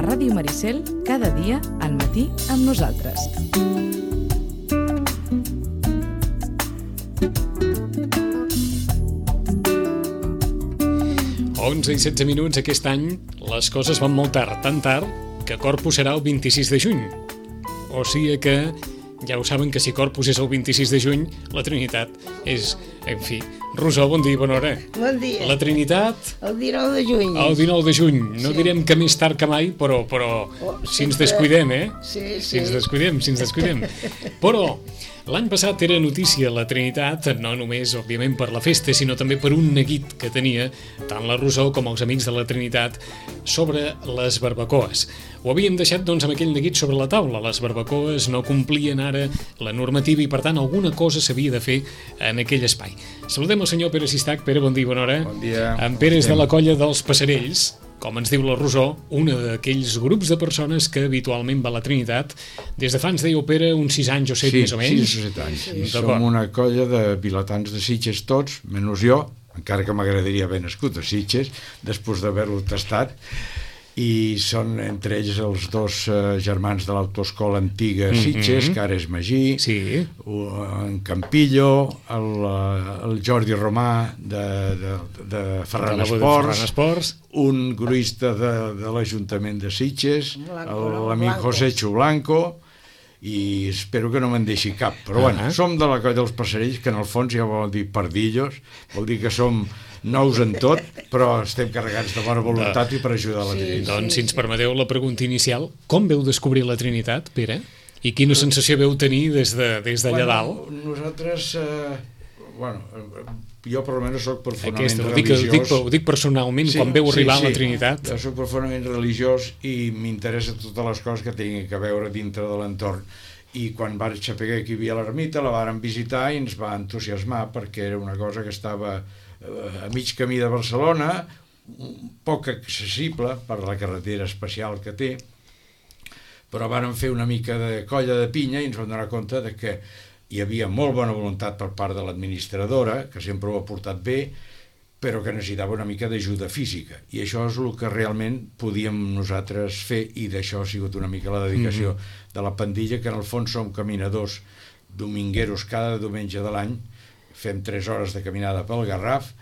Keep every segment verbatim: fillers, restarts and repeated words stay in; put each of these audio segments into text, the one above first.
Ràdio Maricel, cada dia al matí amb nosaltres. onze i setze minuts aquest any, les coses van molt tard, tan tard que Corpus serà el vint-i-sis de juny. O sigui que ja ho saben que si Corpus és el vint-i-sis de juny, la Trinitat és... En fi, Rosó, bon dia i bona hora. Bon dia. La Trinitat... El dinou de juny. El dinou de juny. No Sí. direm que més tard que mai, però, però Oh, si ens sempre. descuidem, eh? Sí, Si sí. ens descuidem, si ens descuidem. Però l'any passat era notícia la Trinitat, no només, òbviament, per la festa, sinó també per un neguit que tenia tant la Rosó com els amics de la Trinitat sobre les barbacoes. Ho havíem deixat, doncs, amb aquell neguit sobre la taula. Les barbacoes no complien ara la normativa i, per tant, alguna cosa s'havia de fer en aquell espai. Saludem el senyor Pere Sistac. Pere, bon dia i bona hora. Bon dia. En Pere és de la colla dels Passarells, com ens diu la Rosó, una d'aquells grups de persones que habitualment va a la Trinitat. Des de fa, ens dèieu, Pere, uns sis anys o set, Sí, més o menys. sis o set anys. Sí. Som D'acord. una colla de vilatans de Sitges tots, menys jo, encara que m'agradaria haver nascut a Sitges, després d'haver-lo tastat, i són entre ells els dos eh, germans de l'autoescola antiga Sitges, Mhm. que ara és Magí, Sí. en Campillo, el, eh, el Jordi Romà de, de, de Ferran De la- de Esports, Ferran Esports. un gruista de, de l'Ajuntament de Sitges, Blanco, el- no? l'amic Blanco. José Chublanco, i espero que no me'n deixi cap, però Ah. bueno, som de la colla dels Passarells, que en el fons ja vol dir pardillos, vol dir que som nous en tot, però estem carregats de bona voluntat i per ajudar la Sí. Trinitat. Doncs, si ens permeteu la pregunta inicial, com veu descobrir la Trinitat, Pere? I quina sensació veu tenir des de des d'allà dalt? Nosaltres, eh, bueno, eh, jo per almenys soc profundament Aquesta, ho dic, ho religiós. dic, ho dic personalment, quan veu arribar a la Trinitat. Jo soc profundament religiós i m'interessa totes les coses que tinguin que veure dintre de l'entorn. I quan vaig saber que hi havia l'ermita, la vàrem visitar i ens va entusiasmar perquè era una cosa que estava eh, a mig camí de Barcelona, poc accessible per la carretera especial que té, però vàrem fer una mica de colla de pinya i ens vam donar compte de que hi havia molt bona voluntat per part de l'administradora, que sempre ho ha portat bé, però que necessitava una mica d'ajuda física. I això és el que realment podíem nosaltres fer, i d'això ha sigut una mica la dedicació mm-hmm. de la pandilla, que en el fons som caminadors domingueros cada diumenge de l'any, fem tres hores de caminada pel Garraf,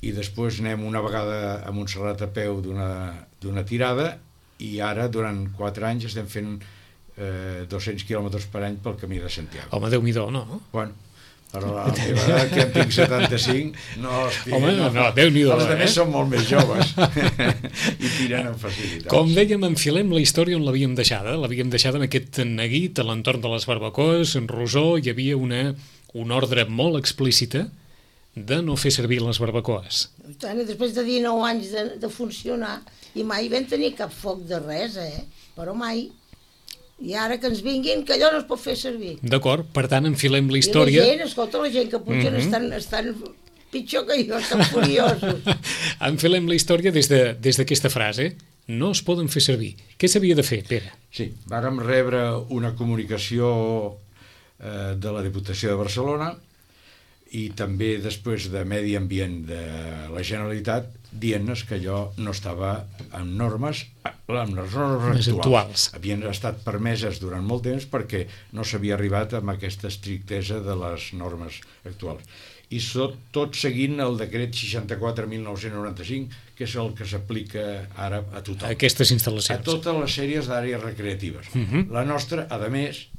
i després anem una vegada a Montserrat a peu d'una d'una tirada, i ara durant quatre anys estem fent eh, dos-cents quilòmetres per any pel camí de Santiago. Home, Déu-n'hi-do, no? Bueno, però la meva edat, que en tinc setanta-cinc, no, estic, Home, no, no, Déu-n'hi-do, els eh? altres són molt més joves i tiren amb facilitat. Com dèiem, enfilem la història on l'havíem deixada. L'havíem deixada amb aquest neguit a l'entorn de les barbacoes, en Rosó, hi havia una, una ordre molt explícita de no fer servir les barbacoes. I tant, i després de dinou anys de, de funcionar, i mai vam tenir cap foc de res, eh? Però mai. I ara que ens vinguin, que allò no es pot fer servir. D'acord, per tant, enfilem la història. I la gent, escolta, la gent que potser Mhm. estan, estan pitjor que jo, estan furiosos. Enfilem la història des de- des d'aquesta frase. No es poden fer servir. Què s'havia de fer, Pere? Sí, vàrem rebre una comunicació eh, de la Diputació de Barcelona i també després de Medi Ambient de la Generalitat dient-nos que allò no estava en normes, amb les normes Les actuals. actuals. Havien estat permeses durant molt temps perquè no s'havia arribat amb aquesta estrictesa de les normes actuals. I tot, tot seguint el decret seixanta-quatre mil nou-cents noranta-cinc, que és el que s'aplica ara a tothom. Aquestes A instal·lacions. totes les sèries d'àrees recreatives. Mhm. La nostra, a més,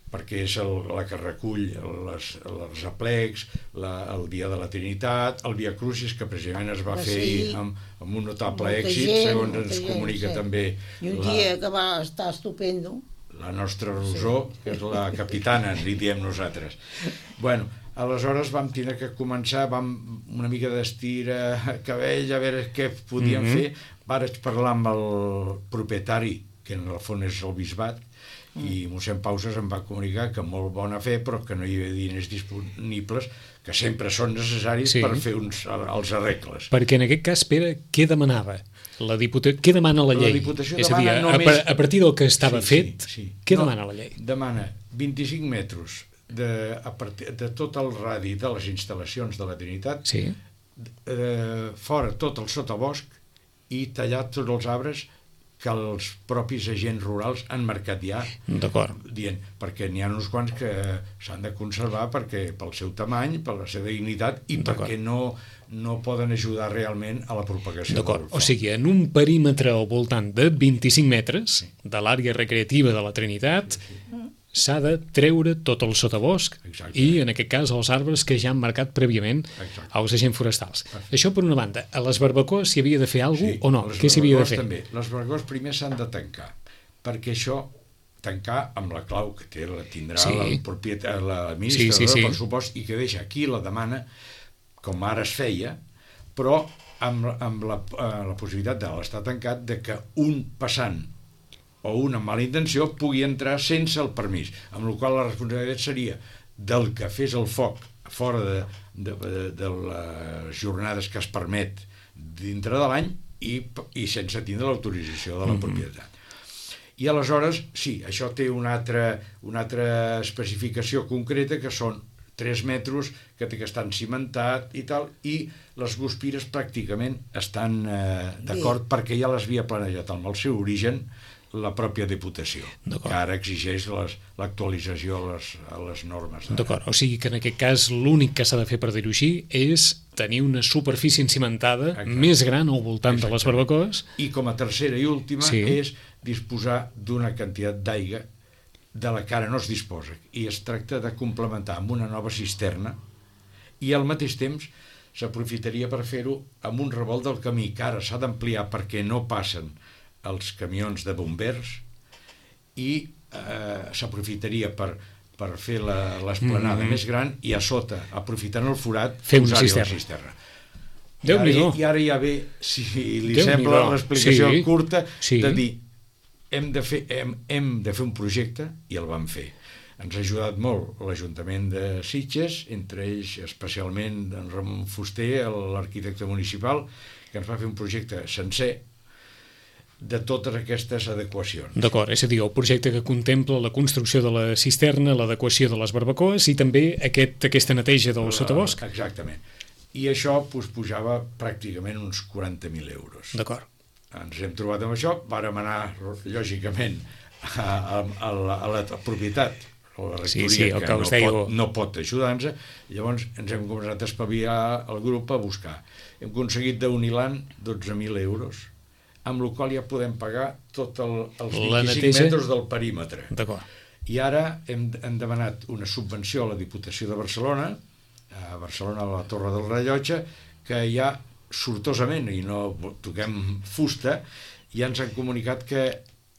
perquè és el, la que recull les, els aplecs, la, el Dia de la Trinitat, el Via Crucis, que precisament es va Ah, fer sí. ahir amb, amb un notable Molta èxit, gent, segons molta ens gent, comunica sí. també I un la, dia que va estar estupendo. la nostra Rosó, que és la capitana, li diem nosaltres. Bueno, aleshores vam tenir que començar, vam una mica d'estira cabell, a veure què podíem Mhm. fer. Vaig parlar amb el propietari, que en el fons és el bisbat, i mossèn Pausas em va comunicar que molt bona fe, però que no hi havia diners disponibles, que sempre són necessaris sí. per fer uns, els arregles. Perquè en aquest cas, Pere, què demanava? La Diputació, què demana la llei? La Diputació és a dir, només... a, a partir del que estava sí, fet, sí, sí. què no, demana la llei? Demana vint-i-cinc metres de, a partir, de tot el radi de les instal·lacions de la Trinitat, sí. eh, fora tot el sotabosc i tallar tots els arbres que els propis agents rurals han marcat ja, dient, perquè n'hi ha uns quants que s'han de conservar perquè pel seu tamany, per la seva dignitat i perquè no, no poden ajudar realment a la propagació del foc. O sigui, en un perímetre al voltant de vint-i-cinc metres sí. de l'àrea recreativa de la Trinitat sí, sí. s'ha de treure tot el sotabosc Exacte. I, en aquest cas, els arbres que ja han marcat prèviament Exacte. Als agents forestals. Perfecte. Això, per una banda. A les barbacoes s'hi havia de fer alguna cosa sí, o no? Què s'hi havia de fer? També. Les barbacoes primer s'han de tancar, perquè això, tancar amb la clau que té, la tindrà sí. el propietari, l'administrador sí, sí, sí. del pressupost, i que deixa aquí la demana, com ara es feia, però amb, amb la, la possibilitat de l'estar tancat de que un passant o una mala intenció pugui entrar sense el permís, amb la qual la responsabilitat seria del que fes el foc fora de, de, de, de les jornades que es permet dintre de l'any i, i sense tindre l'autorització de la mm-hmm. propietat. I aleshores, sí, això té una altra, una altra especificació concreta, que són tres metres, que té que estar cimentat i tal, i les guspires pràcticament estan eh, d'acord, perquè ja les havia planejat amb el seu origen la pròpia Diputació, que ara exigeix l'actualització a, les, a les normes. D'acord, o sigui que en aquest cas l'únic que s'ha de fer, per dir-ho així, és tenir una superfície encimentada Exacte. Més gran al voltant Exacte. De les barbacoes. I com a tercera i última sí. és disposar d'una quantitat d'aigua de la que ara no es disposa, i es tracta de complementar amb una nova cisterna, i al mateix temps s'aprofitaria per fer-ho amb un revolt del camí, que ara s'ha d'ampliar perquè no passen els camions de bombers, i eh, s'aprofitaria per, per fer l'esplanada mm-hmm. més gran, i a sota, aprofitant el forat, fer una cisterna. cisterna. I, ara, I ara ja ve, si li sembla l'explicació sí. curta, sí. de dir, hem de, fer, hem, hem de fer un projecte, i el vam fer. Ens ha ajudat molt l'Ajuntament de Sitges, entre ells especialment en Ramon Fuster, l'arquitecte municipal, que ens va fer un projecte sencer de totes aquestes adequacions. D'acord, és a dir, el projecte que contempla la construcció de la cisterna, l'adequació de les barbacoes i també aquest, aquesta neteja del sotabosc. Exactament. I això pues, pujava pràcticament uns quaranta mil euros. D'acord. Ens hem trobat amb això, vàrem anar, lògicament, a, a, a, la, a la propietat, a la rectoria, sí, sí, que, que no, pot, no pot ajudar-nos, llavors ens hem començat a espavilar el grup a buscar. Hem aconseguit d'Unilan dotze mil euros, amb la qual ja podem pagar tots el, els vint-i-cinc metres del perímetre. D'acord. I ara hem, hem demanat una subvenció a la Diputació de Barcelona, a Barcelona, a la Torre del Rellotge, que ja sortosament, i no toquem fusta, ja ens han comunicat que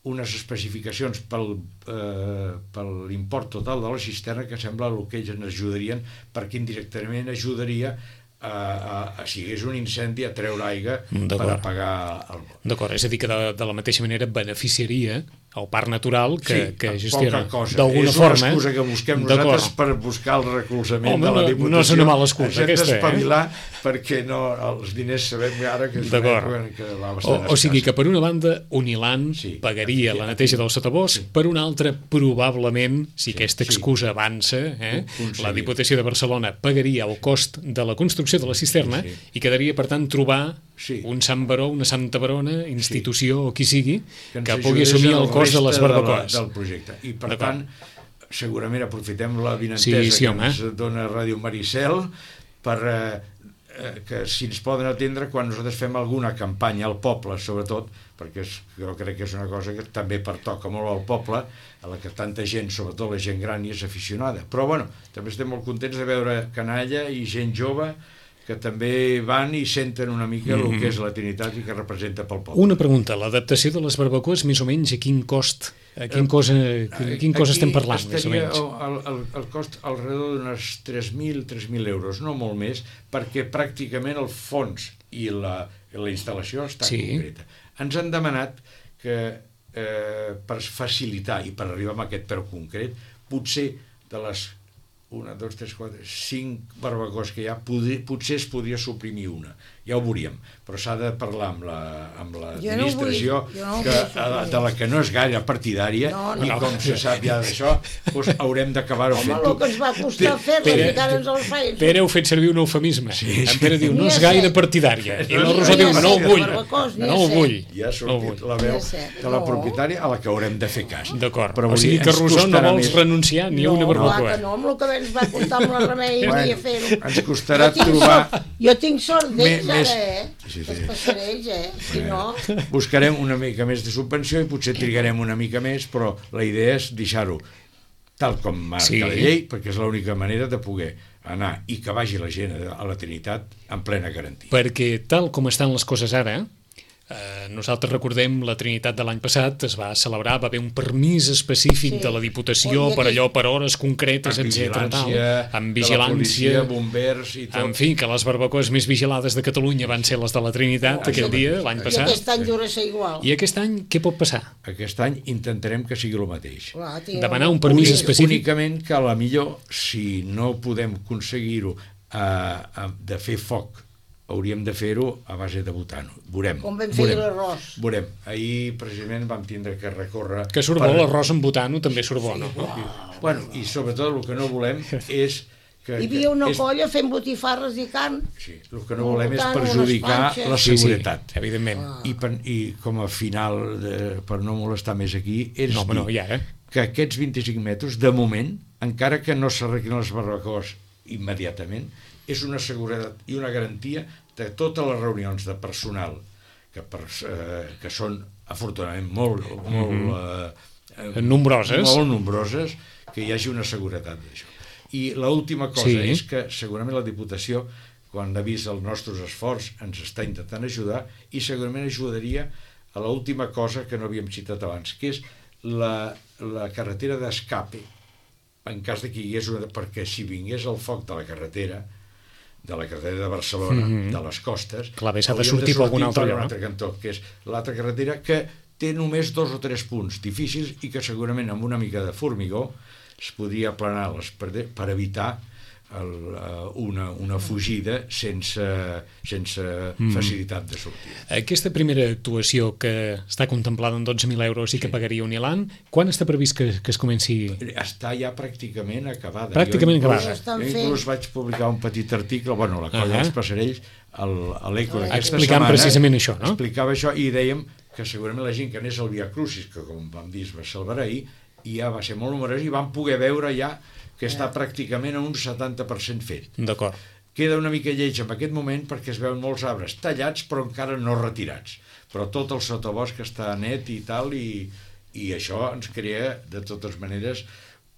unes especificacions pel, eh, per l'import total de la cisterna, que sembla el que ells ens ajudarien, perquè indirectament ajudaria A, a, a, si hi hagués un incendi, a treure aigua per apagar el bosc. D'acord, és a dir que de, de la mateixa manera beneficiaria el parc natural que, sí, que gestiona d'alguna forma. És una excusa que busquem nosaltres per buscar el recolzament Home, de la Diputació. No és una mala excusa aquesta, eh? Hem d'espavilar perquè no, els diners sabem ara que és una època que va bastant o, o sigui que per una banda Unilan sí, pagaria sí, la neteja del sotabosc, sí. Per una altra probablement, si sí, aquesta excusa sí. avança, eh, la Diputació de Barcelona pagaria el cost de la construcció de la cisterna sí. i quedaria per tant trobar sí. un Sant Baró, una Santa Barona, institució sí. o qui sigui, que, que pugui assumir el cost de les barbacoes. De la, del projecte. I per tant, segurament aprofitem la vinentesa sí, sí, que ens dona Ràdio Maricel per eh, que si ens poden atendre quan nosaltres fem alguna campanya al poble, sobretot, perquè és, jo crec que és una cosa que també pertoca molt al poble, a la que tanta gent, sobretot la gent gran, hi és aficionada. Però bueno, també estem molt contents de veure canalla i gent jove que també van i senten una mica mm-hmm. el que és la Trinitat i que representa pel poble. Una pregunta, l'adaptació de les barbacoes, més o menys, a quin cost, a quin, eh, cosa, a quin cosa estem parlant, més o menys? El, el, el cost alrededor d'unes tres mil euros, no molt més, perquè pràcticament el fons i la, la instal·lació està sí. concreta. Ens han demanat que eh, per facilitar i per arribar a aquest preu concret, potser de les una, dos, tres, quatre, cinc barbacoes que hi ha, potser, potser es podria suprimir una. Ja ho veuríem, però s'ha de parlar amb la, amb l'administració, no que, de la que no és gaire partidària, no, no. I com se sap ja d'això, doncs haurem d'acabar-ho fent. Home, el que ens va costar fer-la, encara ens el feien. Pere heu fet servir un eufemisme. Sí, sí. En Pere diu, no és gaire partidària. I la Rosa diu, no ho vull. No ho vull. Ja ha sortit la veu de la propietària a la que haurem de fer cas. D'acord. O sigui que, Rosó, no vols renunciar ni a una barbacoa. No, amb el que ens va costar amb la Remei i a fer-ho. Ens costarà trobar... Jo tinc sort d'ells ara, eh? Sí, sí. Els passarells, eh? Si no... Buscarem una mica més de subvenció i potser trigarem una mica més, però la idea és deixar-ho tal com marca sí. la llei, perquè és l'única manera de poder anar i que vagi la gent a la Trinitat en plena garantia. Perquè tal com estan les coses ara, eh, nosaltres recordem la Trinitat de l'any passat, es va celebrar, va haver un permís específic sí. de la Diputació per allò, per hores concretes, etcètera. Amb vigilància, policia, bombers i tot. En fi, que les barbacoes més vigilades de Catalunya van ser les de la Trinitat oh, aquell dia, l'any passat. I aquest any dura ser igual. I aquest any què pot passar? Aquest any intentarem que sigui el mateix. Clar, demanar un permís Únic, específic. Únicament que a la millor, si no podem aconseguir-ho eh, de fer foc, hauríem de fer-ho a base de butano. Veurem. Com vam fer l'arròs. Veurem. Ahir, precisament, vam tindre que recórrer... Que surt bo, per... l'arròs amb butano també surt bo, no? Sí, bueno, i sobretot el que no volem és... Que, Hi havia una és... colla fent botifarres i carn. Sí, el que no volem és perjudicar la seguretat. Sí, sí, evidentment. Ah. I, per, I com a final, de, per no molestar més aquí, és no, dir no, ja, eh? que aquests vint-i-cinc metres, de moment, encara que no s'arreglin les barbacoes immediatament, és una seguretat i una garantia de totes les reunions de personal que, per, eh, que són afortunadament molt, molt mm-hmm. eh, nombroses. molt nombroses, que hi hagi una seguretat d'això. I l'última cosa sí. és que segurament la Diputació, quan ha vist el nostre esforç, ens està intentant ajudar i segurament ajudaria a l'última cosa que no havíem citat abans, que és la, la carretera d'escape, en cas de que hi hagués una... perquè si vingués el foc de la carretera, de la carretera de Barcelona, mm-hmm. de les costes, clar, bé, s'ha de sortir, de sortir per algun altre, per un altre cantó, que és l'altra carretera que té només dos o tres punts difícils i que segurament amb una mica de formigó es podria aplanar les per, per evitar el, una, una fugida sense, sense mm. facilitat de sortida. Aquesta primera actuació que està contemplada en dotze mil euros i que sí. pagaria Unilan, quan està previst que, que es comenci? Està ja pràcticament acabada. Pràcticament jo inclús, acabada. Jo inclús vaig publicar un petit article, bueno, la colla uh -huh. dels Passarells, a l'Eco d'aquesta explicant setmana. Precisament això, no? Explicava això i dèiem que segurament la gent que anés al Via Crucis, que com vam dir es va celebrar ahir, i ja va ser molt numerós i vam poder veure ja que està pràcticament a un setanta per cent fet. D'acord. Queda una mica lleig en aquest moment perquè es veuen molts arbres tallats però encara no retirats. Però tot el sotabosc està net i tal i, i això ens crea de totes maneres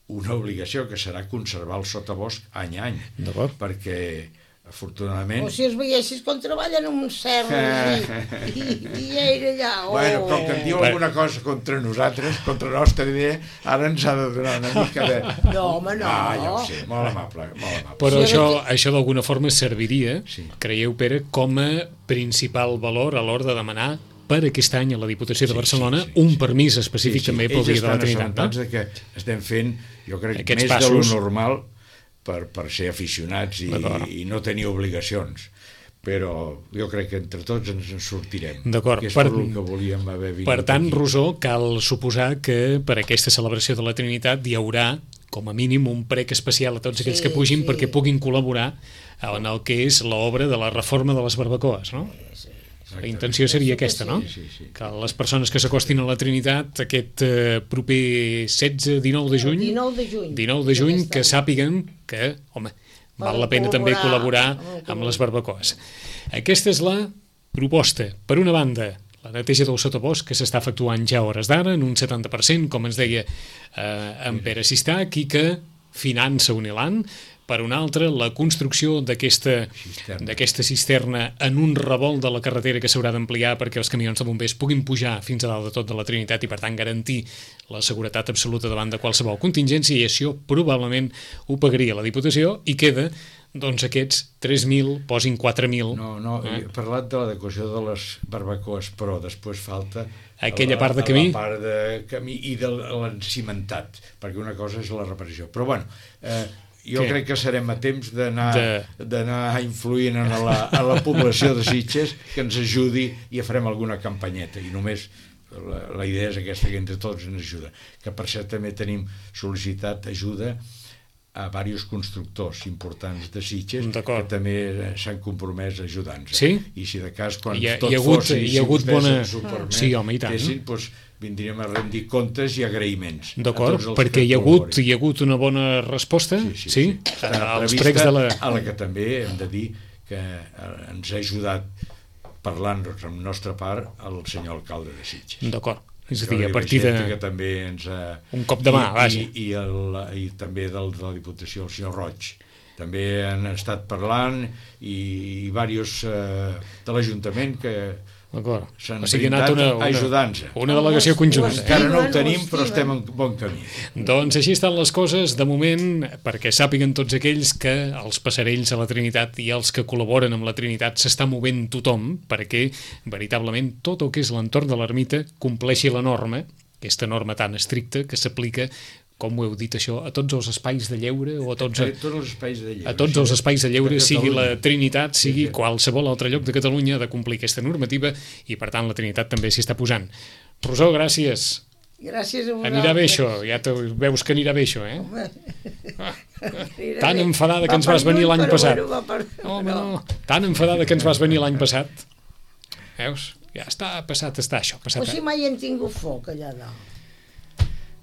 una obligació que serà conservar el sotabosc any a any. D'acord. Perquè afortunadament... O si els veiessis com treballen en un cel i, i, i era allà... Oh. Bueno, com que em diu alguna cosa contra nosaltres, contra la nostra idea, ara ens ha de donar una mica de... No, home, no. Ah, ja ho sé, molt amable, molt amable. Però sí, això, que... això d'alguna forma serviria, sí. creieu, Pere, com a principal valor a l'hora de demanar per aquest any a la Diputació de Barcelona sí, sí, sí, un permís específic sí, sí. també pel Dia de la Trinitat. Ells estan assabentats de que estem fent, jo crec, aquests més passos. De lo normal per, per ser aficionats i, i no tenir obligacions. Però jo crec que entre tots ens en sortirem. D'acord. Que és per, per el que volíem haver vingut. Per tant, aquí. Rosó, cal suposar que per aquesta celebració de la Trinitat hi haurà, com a mínim, un prec especial a tots aquells sí, que pugin sí. perquè puguin col·laborar en el que és l'obra de la reforma de les barbacoes, no? Sí, sí. La intenció seria aquesta, no? Sí, sí, sí. Que les persones que s'acostin a la Trinitat aquest eh, proper setze dinou de juny, dinou de juny, dinou de juny que sàpiguen que, home, val la pena també col·laborar amb les barbacoes. Aquesta és la proposta. Per una banda, la neteja del sotabosc que s'està efectuant ja a hores d'ara en un setanta per cent, com ens deia eh, en Pere Sistac, i que finança Unilan. Per una altra, la construcció d'aquesta cisterna. d'aquesta cisterna en un revolt de la carretera que s'haurà d'ampliar perquè els camions de bombers puguin pujar fins a dalt de tot de la Trinitat i, per tant, garantir la seguretat absoluta davant de qualsevol contingència, i això probablement ho pagaria la Diputació, i queda doncs aquests tres mil posin quatre mil. No, no, eh? he parlat de l'adequació de les barbacoes, però després falta aquella la, part de camí? la part de camí i de l'encimentat, perquè una cosa és la reparació. Però bueno, eh, jo Què? crec que serem a temps d'anar De- d'anar influint en la, a la població de Sitges que ens ajudi i farem alguna campanyeta i només la, la idea és aquesta, que entre tots ens ajuda, que per cert també tenim sol·licitat ajuda a diversos constructors importants de Sitges D'acord. que també s'han compromès a ajudar-nos. Sí? I si de cas, quan Hi ha- tot hi ha hagut- fos i hi si ha hagut vostès bona- ens ho permet, Sí, home, i tant. fessin, doncs, vindríem a rendir comptes i agraïments. a D'acord, tots els perquè que hi ha, hagut, col·laborin. hi ha hagut una bona resposta, Sí, sí, sí? sí. Està als prevista, pregs de la... a la que també hem de dir que eh, ens ha ajudat parlant-nos amb nostra part el senyor alcalde de Sitges. D'acord, és a dir, Jordi a partir de... Vicente, que també ens ha... Un cop de mà, I, vaja. I, i, el, I també del, de la Diputació, el senyor Roig. També han estat parlant i, i diversos eh, de l'Ajuntament que D'acord, s'han o sigui, ha anat brindat una, a una, ajudar-nos. una delegació conjunta. Encara no ho Estimen, tenim, ho però estem estimen. en bon camí. Doncs així estan les coses, de moment, perquè sàpiguen tots aquells que els passarells a la Trinitat i els que col·laboren amb la Trinitat s'està movent tothom perquè, veritablement, tot el que és l'entorn de l'ermita compleixi la norma, aquesta norma tan estricta que s'aplica, com ho heu dit això, a tots els espais de lleure o a tots, A tots els espais de lleure. a tots els espais de lleure, De sigui la Catalunya. Trinitat, sigui Sí, sí. qualsevol altre lloc de Catalunya, ha de complir aquesta normativa i, per tant, la Trinitat també s'hi està posant. Rosó, gràcies. Gràcies a vosaltres. Anirà bé això, ja te, veus que anirà bé això, eh? Home, anirà Tan bé. enfadada que Va ens vas per venir lluny, l'any però passat. bueno, va per... Home, no, tan enfadada que ens vas venir l'any passat. Veus? Ja està, passat està això, passat. Però si mai hem tingut foc allà dalt.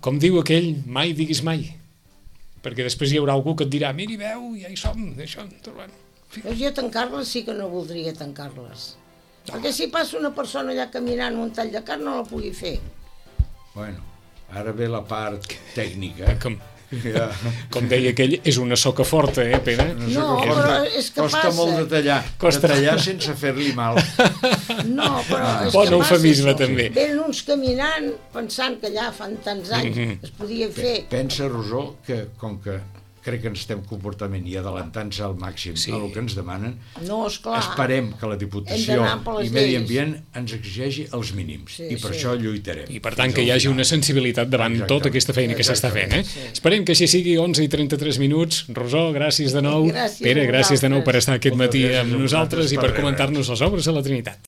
Com diu aquell, mai diguis mai. Perquè després hi haurà algú que et dirà, miri, veu, ja hi som, això, trobem. Veus, jo tancar-les sí que no voldria tancar-les. Perquè si passa una persona allà caminant un tall de carn no la pugui fer. Bueno, ara ve la part tècnica. Com, Ja. com deia aquell, és una soca forta, eh, Pere? No, No, sé que però costa, és que costa passa. molt de tallar, Costa. de tallar sense fer-li mal. No, però és Bon que passa eufemisme, això. també. Venen uns caminant pensant que allà fan tants anys Mhm. es podia fer. Pensa, Rosó, que com que crec que ens estem comportament i adelantant-se al màxim Sí. a el que ens demanen, No, esclar. esperem que la Hem Diputació d'anar per les i Medi lleis. Ambient ens exigeixi els mínims, Sí, i per sí. això lluitarem. I per tant fins que hi al hagi final. una sensibilitat davant Exactament. tota aquesta feina que s'està fent, eh? Sí. Esperem que així sigui, onze i trenta-tres minuts. Rosó, gràcies de nou. Gràcies a Pere, gràcies de nou per vosaltres. estar aquest Moltes matí gràcies amb a nosaltres vosaltres i per per rebre. comentar-nos les obres a la Trinitat.